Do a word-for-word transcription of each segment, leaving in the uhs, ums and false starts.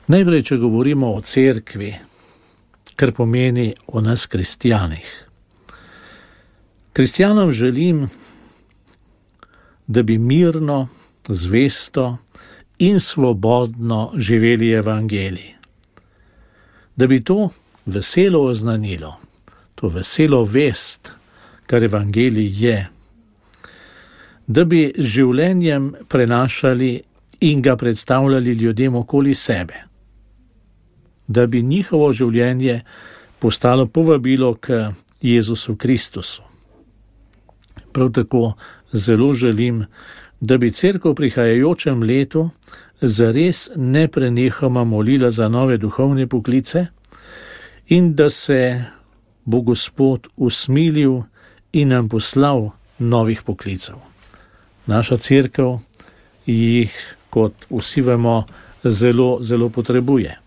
Najprej, če govorimo o cerkvi, kar pomeni o nas kristjanih. Kristjanom želim, da bi mirno, zvesto in svobodno živeli evangelij. Da bi to veselo oznanilo, to veselo vest, kar evangelij je, da bi z življenjem prenašali in ga predstavljali ljudem okoli sebe, da bi njihovo življenje postalo povabilo k Jezusu Kristusu. Prav tako zelo želim, da bi cerkev v prihajajočem letu zares neprenehoma molila za nove duhovne poklice in da se bo Gospod usmilil in nam poslal novih poklicev. Naša cerkev jih, kot vsi vemo, zelo, zelo potrebuje.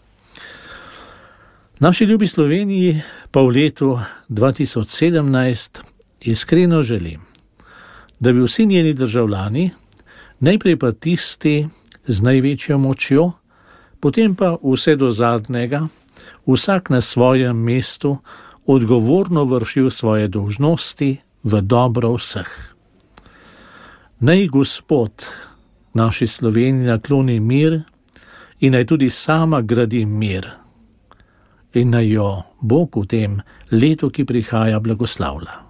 Naši ljubi Sloveniji pa v letu dva tisoč sedemnajst iskreno želim, da bi vsi njeni državljani, najprej pa tisti z največjo močjo, potem pa vse do zadnjega, vsak na svojem mestu odgovorno vršil svoje dolžnosti v dobro vseh. Naj Gospod naši Sloveniji nakloni mir in naj tudi sama gradi mir in naj jo Bog v tem letu, ki prihaja, blagoslavlja.